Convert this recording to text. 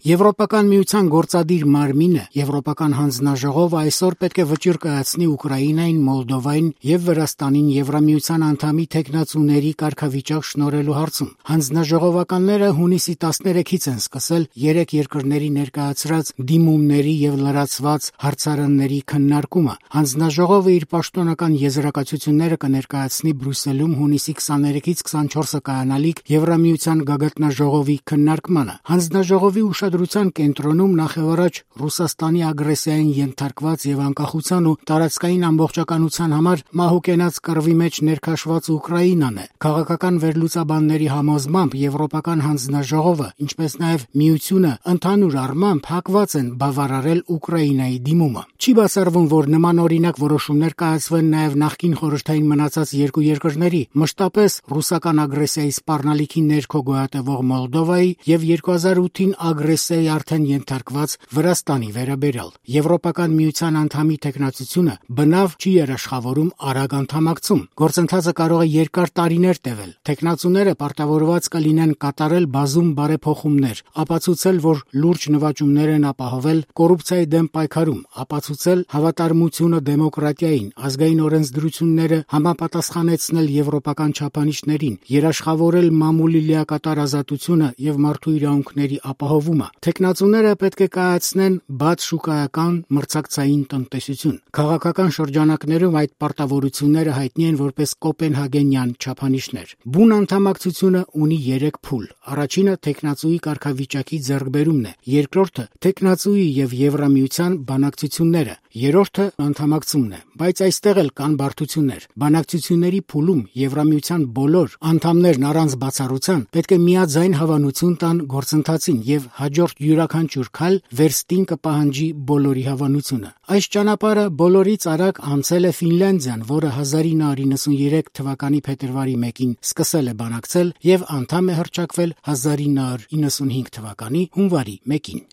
Եվրոպական միության գործադիր մարմինը Եվրոպական հանձնաժողովը այսօր պետք է վճիռ կայացնի Ուկրաինային, Մոլդովային եւ Վրաստանին Եվրամիության անդամի թեկնածուների կարգավիճակ շնորհելու հարցում։ Հանձնաժողովականները հունիսի 13-ից են սկսել 3 երկրների ներկայացրած դիմումների եւ լրացված հարցարանների քննարկումը։ Հանձնաժողովը իր պաշտոնական եզրակացությունները կներկայացնի Բրյուսելում հունիսի 23-ից 24-ը կայանալիք Եվրամիության գագաթնաժողովի քննարկմանը։ Հանձնաժողովի ուշադրության կենտրոնում նախևառաջ Ռուսաստանի ագրեսիային ենթարկված եւ անկախության ու տարածքային ամբողջականության համար մահուկենաց կռվի մեջ ներքաշված Ուկրաինան է։ Քաղաքական վերլուծաբանների համոզմամբ Եվրոպական հանձնաժողովը, ինչպես նաեւ Միությունը ընդհանուր առմամբ հակված են բավարարել Ուկրաինայի դիմումը։ Չի բացառվում, որ նման օրինակ որոշումներ կայացվեն նաեւ նախկին խորհրդային մնացած երկու երկրների, մշտապես ռուսական ագրեսիայի սպառնալիքի ներքո գոյատևող Մոլդովայի եւ 2008-ին ագրեսիայի արդեն ենթարկված Վրաստանի վերաբերյալ։ Եվրոպական միության անդամի թեկնածությունը բնավ չի երաշխավորում արագ անդամակցում։ Գործընթացը կարող է երկար տարիներ տևել։ Թեկնածուները պարտավորված կլինեն կատարել բազում բարեփոխումներ, ապացուցել, որ լուրջ նվաճումներ են ապահովել կոռուպցիայի դեմ պայքարում, ապացուցել հավատարմությունը դեմոկրատիային, ազգային օրենսդրությունները համապատասխանեցնել եվրոպական չափանիշներին, երաշխավորել մամուլի լիակատար ազատությունը եւ մարդու իրավունքների ապահովումը։ Թեկնածուները պետք է կայացնեն բաց շուկայական մրցակցային տնտեսություն։ Քաղաքական շրջանակներում այդ պարտավորությունները հայտնի են որպես կոպենհագենյան չափանիշներ։ Բուն անդամակցությունը ունի 3 փուլ։ Առաջինը թեկնածուի կարգավիճակի ձեռքբերումն է, երկրորդը թեկնածուի եւ Եվրամիության բանակցությունները, երրորդը անդամակցումն է։ Բայց այստեղ էլ կան բարդություններ։ Բանակցությունների փուլում Եվրամիության բոլոր անդամներն առանց բացառության պետք է միաձայն հավանություն տան գործընթացին եւ հաջորդ յուրաքանչյուր քայլ վերստին կպահանջի բոլորի հավանությունը։ Այս ճանապարհը բոլորից արագ անցել է Ֆինլանդիան, որը 1993 թվականի փետրվարի 1-ին սկսել է բանակցել եւ անդամ է հռչակվել 1995 թվականի հունվարի 1-ին։